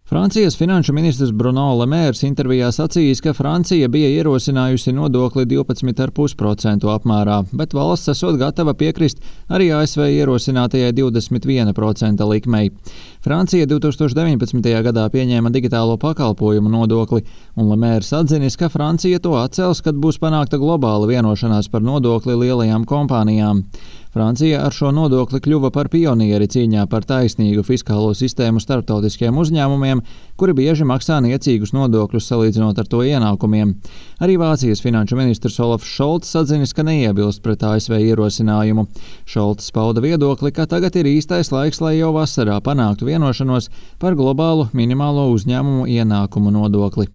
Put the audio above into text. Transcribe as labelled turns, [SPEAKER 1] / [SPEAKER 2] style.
[SPEAKER 1] Francijas finanšu ministrs Bruno Le Maire intervijā sacījis, ka Francija bija ierosinājusi nodokli 12,5% apmērā, bet valsts esot gatava piekrist arī ASV ierosinātajai 21% likmei. Francija 2019. gadā pieņēma digitālo pakalpojumu nodokli, un Le Maire atzinis, ka Francija to atcels, kad būs panākta globāla vienošanās par nodokli lielajām kompānijām. Francija ar šo nodokli kļuva par pionieri cīņā par taisnīgu fiskālo sistēmu starptautiskiem uzņēmumiem, kuri bieži maksā niecīgus nodokļus salīdzinot ar to ienākumiem. Arī Vācijas finanšu ministrs Olafs Šolts atzinis, ka neiebilst pret ASV ierosinājumu. Šolts pauda viedokli, ka tagad ir īstais laiks, lai jau vasarā panāktu vienošanos par globālu minimālo uzņēmumu ienākumu nodokli.